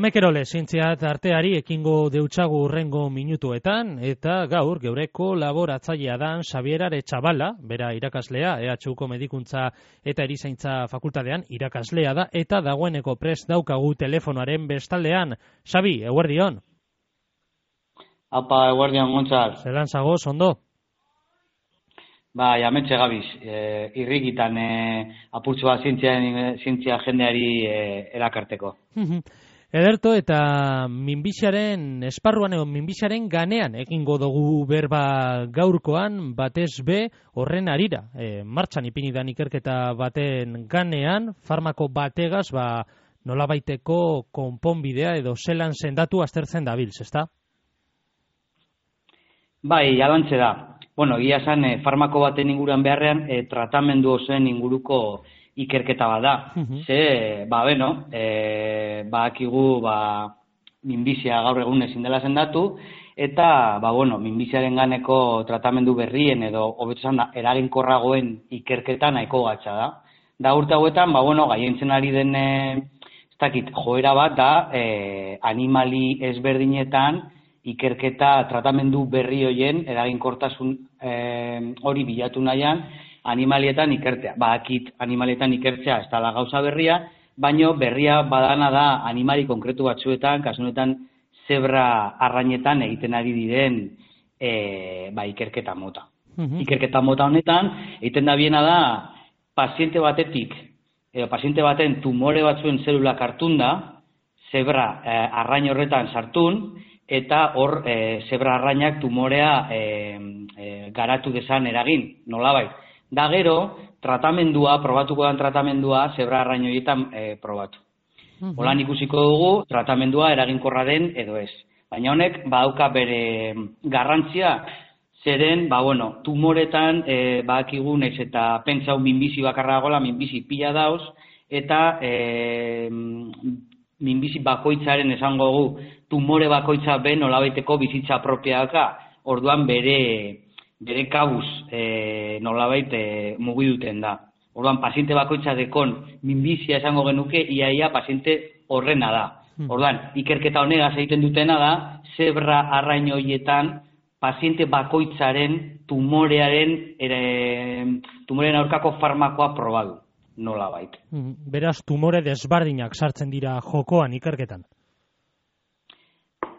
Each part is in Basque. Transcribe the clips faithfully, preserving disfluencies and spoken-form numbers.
Tomekerole zientziat arteari ekingo deutsagu urrengo minutuetan, eta gaur geureko laboratzailea dan Xabier Aretxabala, bera irakaslea, E H Uko medikuntza eta erizaintza fakultatean irakaslea da, eta dagoeneko prest daukagu telefonoaren bestaldean. Xabi, eguerdion. Apa, eguerdion, Gontzal. Zelan zagoz, ondo? Ba, jametxe gabiz, e, irrikitan e, apurtzu bat zientzia jendeari e, erakarteko. Ederto, eta minbiziaren esparruan edo minbiziaren ganean egingo dugu berba gaurkoan, batez be horren arira. E, martxan ipinidan ikerketa baten ganean, farmako bategaz, ba, nolabaiteko konponbidea edo zelan sendatu aztertzen dabilz, ezta? Bai, jalantze da. Bueno, egia esan, e, farmako baten inguruan beharrean, e, tratamendu osoen inguruko ikerketa bat da. Uh-huh. Ze, ba, beno, e, ba, akigu, ba, minbizia gaur egun ezin dela sendatu, eta, ba, bueno, minbiziaren ganeko tratamendu berrien edo, hobeto esan da, eraginkorragoen ikerketa nahiko gatza da. Da urte hauetan, ba, bueno, gaientzen ari den, e, ez dakit, joera bat da, e, animali ezberdinetan, ikerketa tratamendu berri hoien eraginkortasun e, hori bilatu nahian animalietan ikertzea. Ba, akit animalietan ikertzea ez da gauza berria, baino berria badana da animali konkretu batzuetan, kasunetan zebra arrainetan egiten ari diren e, ba, ikerketa mota. Uh-huh. Ikerketa mota honetan, egiten da biena da paziente batetik, edo paziente baten tumore batzuen zelulak hartun da, zebra e, arrain horretan sartun, eta hor e, zebra arrainak tumorea e, e, garatu desan eragin, nolabait. Da gero, tratamendua, probatuko den tratamendua, zebra arrain horietan e, probatu. Uh-huh. Holan ikusiko dugu, tratamendua eraginkorra den edo ez. Baina honek, badauka bere garrantzia, zeren, ba bueno, tumoretan, e, badakigu naiz eta pentsau minbizi bakarra dagoela, minbizi pila dauz, eta e, minbizi bakoitzaren esango gu, tumore bakoitza ben nolabaiteko bizitza apropiaka, orduan bere bere kabuz e, nolabait e, mugiduten da. Orduan paziente bakoitza dekon minbizia esango genuke, iaia paziente horrena da. Orduan, ikerketa honegaz egiten dutena da, zebra arrain horietan paziente bakoitzaren tumorearen ere, tumorearen aurkako farmakoa probadu. Nolabait. Beraz, tumore desbardinak sartzen dira jokoan ikerketan.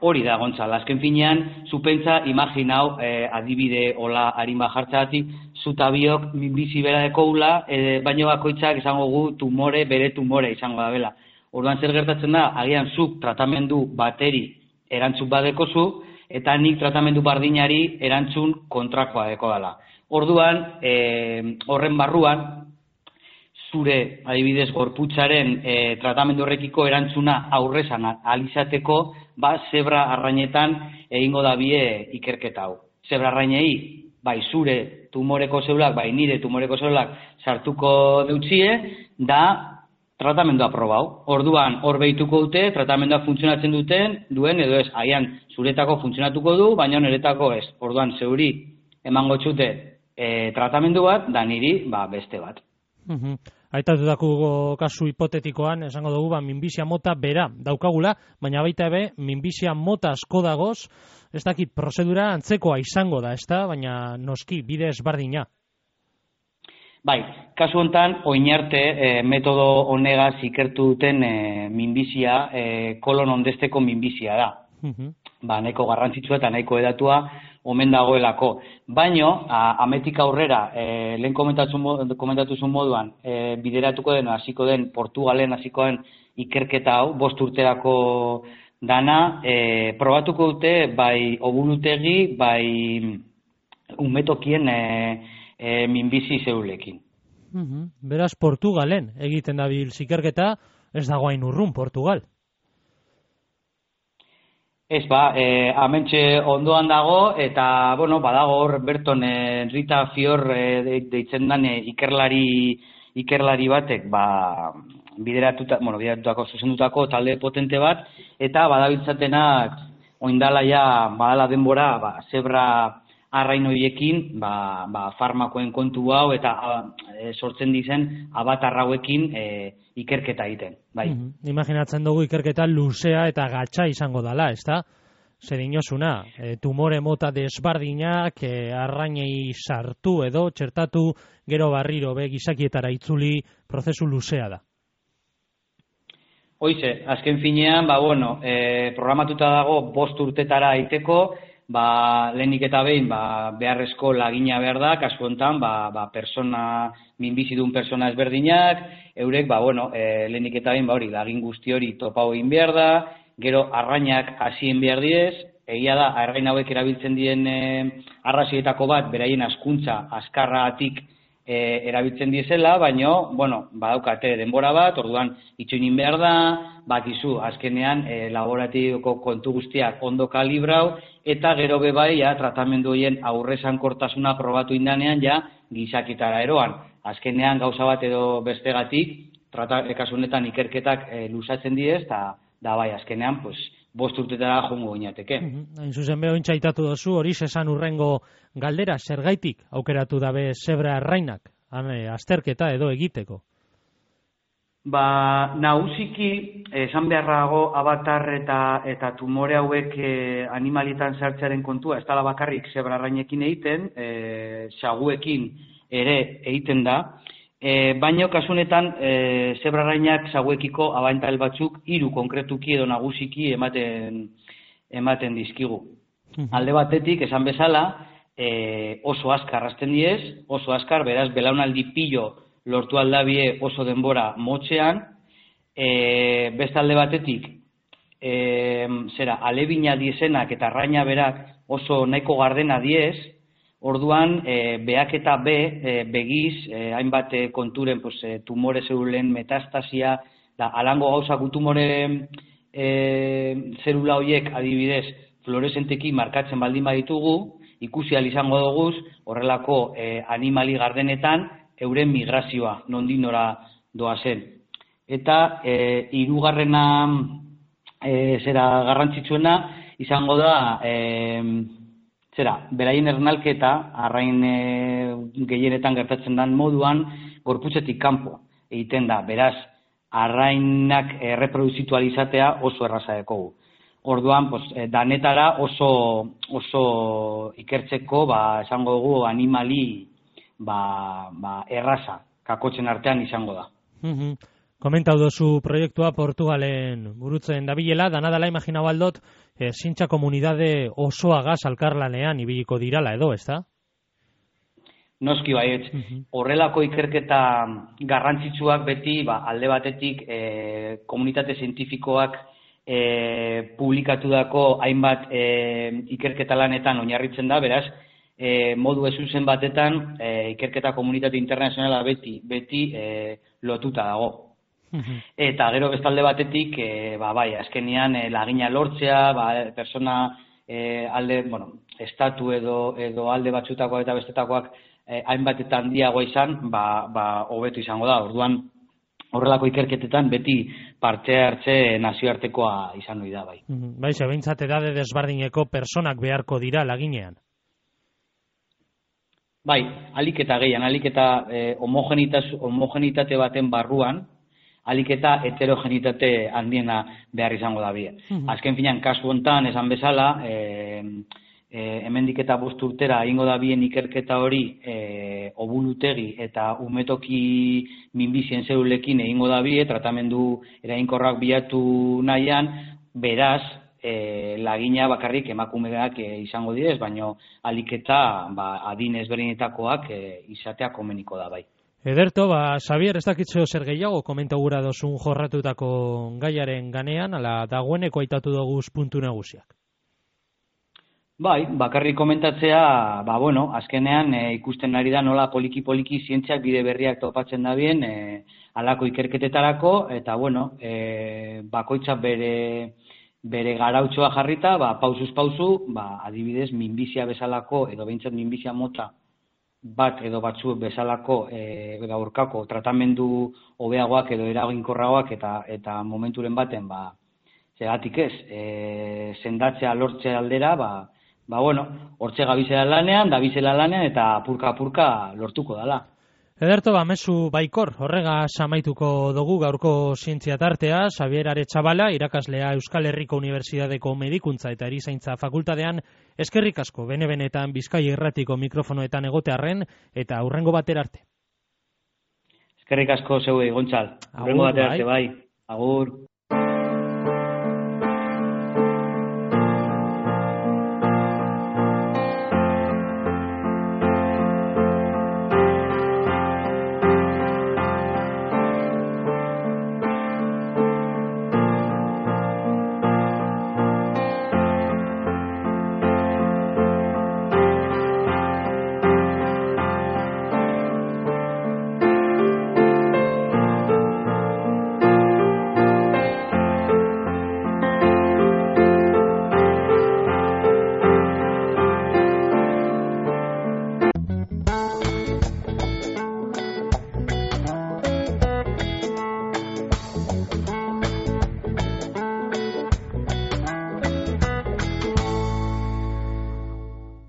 Hori da, Gontzal, azken finean, zupentza, imaginau, eh, adibide hola harin bajartzatik, zutabiok minbizi bera dekoula, eh, baino bakoitzak izango gu tumore, bere tumore izango da bela. Orduan zer gertatzen da, agian zuk tratamendu bateri erantzun badekozu, eta nik tratamendu bardinari erantzun kontrakoa deko dela. Orduan, eh, horren barruan, zure, adibidez, gorputzaren e, tratamendu horrekiko erantzuna aurrezan alizateko, ba, zebra arrainetan egingo da bie ikerketa hau. Zebra arrainei, bai, zure tumoreko zelulak, bai, nire tumoreko zelulak sartuko deutzie, da tratamendua probau. Orduan, hor behituko dute, tratamendua funtzionatzen duten, duen, edo ez, aian, zuretako funtzionatuko du, baina niretako ez. Orduan, zeuri, emango txute e, tratamendu bat, da niri, ba, beste bat. Uh-huh. Aitatutako kasu hipotetikoan, esango dugu, ba, minbizia mota bera daukagula, baina baita ebe, minbizia mota asko dagoz, ez dakit, prozedura antzekoa izango da, ez da, baina noski, bide ezbardina. Bai, kasu hontan, oinarte e, metodo honegaz ikertu duten e, minbizia, e, kolon ondesteko minbizia da. Uh-huh. Ba, nahiko garrantzitsua eta nahiko edatua omen dagoelako. Baino, ametik aurrera, e, lehen komentatu zuen moduan, e, bideratuko den, hasiko den, Portugalen hasiko den ikerketa hau, bost urterako dana, e, probatuko dute, bai oburutegi, bai umetokien e, e, minbizi zeulekin. Uh-huh. Beraz, Portugalen egiten dabil ikerketa, ez dago hain urrun, Portugal. Ez ba, e, amentxe ondoan dago, eta, bueno, badago hor Berton e, Rita Fior e, deitzen dan e, ikerlari, ikerlari batek, ba, bideratuta, bueno, bideratutako, zuzendutako talde potente bat, eta badabiltzatenak oindala ja, badala denbora, ba, zebra arrain horiekin, ba, ba, farmakoen kontu hau, eta e, sortzen dizen abatar hauekin e, ikerketa egiten, bai. Mm-hmm. Imaginatzen dugu ikerketa luzea eta gatsa izango dala, ezta? Zer inosuna, e, tumore mota desbardinak e, arrainei sartu edo txertatu gero barriro be gizakietara itzuli prozesu luzea da. Hoize, azken finean, ba, bueno, e, programatuta dago bost urtetara aiteko, ba, lehenik eta behin, ba, beharrezko lagina behar da, kasu honetan, ba, ba, persona, minbizidun persona ezberdinak, eurek, ba, bueno, e, lehenik eta behin, ba, hori, lagin guzti hori topau egin behar da, gero arrainak hasien behar diez, egia da, arrain hauek erabiltzen dien e, arrazoietako bat, beraien askuntza, askarratik, E, erabiltzen diezela, baino, bueno, badaukate denbora bat, orduan itxoinin behar da, bakizu, azkenean e, laboratiboko kontu guztiak ondo kalibrau, eta gero bebai, ja, tratamendu horien aurrezankortasuna probatu indanean, ja, gizakitara eroan. Azkenean gauza bat edo bestegatik, trata, ekasunetan ikerketak e, luzatzen diez, eta da bai, azkenean, pues, bost urtetara jongo gineateke. Hain zuzen beho intxaitatu dozu, hori esan urrengo galdera, zergaitik aukeratu dabe zebra errainak, azterketa edo egiteko? Ba, nagusiki, esan beharrago abatar eta, eta tumore hauek e, animalitan sartzearen kontua, ez dala bakarrik zebra errainekin egiten, e, xaguekin ere egiten da, E, baino kasunetan e, zebrarrainak zaguekiko abantail batzuk hiru konkretuki edo nagusiki ematen ematen dizkigu. Alde batetik, esan bezala, e, oso azkar hasten diez, oso azkar, beraz, belaunaldi pilo lortu aldabie oso denbora motxean, e, beste alde batetik, e, zera, alebina diezenak eta arraina berak oso nahiko gardena diez, orduan, e, beak eta be, e, begiz, e, hainbat e, konturen pues, e, tumore zerulen metastasia, da, alango gauzak tumore e, zerula horiek adibidez fluoresenteki markatzen baldin baditugu, ikusi ahal izango doguz, horrelako e, animali gardenetan, euren migrazioa, nondik nora doazen. Eta e, hirugarrena e, zera garrantzitsuena izango da, e, zera, beraien ernalketa, arrain e, gehienetan gertatzen den moduan, gorputzetik kanpo egiten da. Beraz, arrainak erreproduzitu alizatea oso erraza dekogu. Orduan, pues, danetara oso, oso ikertzeko, ba, esango dugu, animali ba, ba, erraza, kakotzen artean izango da. Mm-hmm. Komentau dozu proiektua Portugalen burutzen dabilela, danadala imaginau aldot, e, zintxa komunidade osoagaz alkarlanean ibiliko dirala edo, ez da? Noski baietz, horrelako ikerketa garrantzitsuak beti, ba, alde batetik e, komunitate zientifikoak e, publikatu dako hainbat e, ikerketa lanetan oinarritzen da, beraz, e, modu ezuzen batetan e, ikerketa komunitate internazionala beti, beti e, lotuta dago. Eta gero bestalde batetik, e, ba, bai, azkenian e, lagina lortzea, ba, persona e, alde, bueno, estatu edo, edo alde batzutakoak eta bestetakoak e, hainbat eta handiagoa izan, ba, ba, hobetu izango da. Orduan, horrelako ikerketetan beti parte hartze nazioartekoa izan hori da, bai. Bai, zebeintzat edade desbardineko personak beharko dira laginean. Bai, alik eta gehian, alik eta e, homogenitate baten barruan, alik eta heterogenitate handiena behar izango da bie. Mm-hmm. Azken finean, kasu hontan, esan bezala, e, e, hemendik eta bost urtera egingo da bien ikerketa hori e, obulutegi eta umetoki minbizien zerulekin egingo da bie, tratamendu eraginkorrak bilatu nahian, beraz, e, lagina bakarrik emakumeak e, izango direz, baino alik eta ba, adin ezberdinetakoak e, izatea komeniko da bai. Ederto, ba, Xabier, ez dakitzeo zer gehiago komenta gura dozun jorratutako gaiaren ganean, ala dagoeneko aitatu doguz puntu nagusiak. Bai, bakarrik komentatzea, ba, bueno, azkenean e, ikusten ari da nola poliki-poliki zientziak bide berriak topatzen da bien, e, alako ikerketetarako, eta, bueno, e, bakoitza bere, bere garautxoa jarrita, ba, pausuz pausu, ba, adibidez, minbizia bezalako, edo behintzat minbizia mota, bat edo batzu bezalako e, gaurkako tratamendu hobeagoak edo eraginkorragoak eta eta momenturen baten ba zeratik ez e, sendatzea lortzea aldera ba ba bueno hortze gabizela lanean da bizela lanean eta apurka apurka lortuko dala. Ederto, bamezu baikor, horrega samaituko dugu gaurko zientzia tartea, Xabier Aretxabala, irakaslea Euskal Herriko Unibertsitateko Medikuntza eta Erizaintza Fakultatean, eskerrik asko, bene-benetan Bizkai Irratiko mikrofonoetan egotearren, eta hurrengo batera arte. Eskerrik asko zeuei, Gontzal. Hurrengo batera arte, bai. Agur.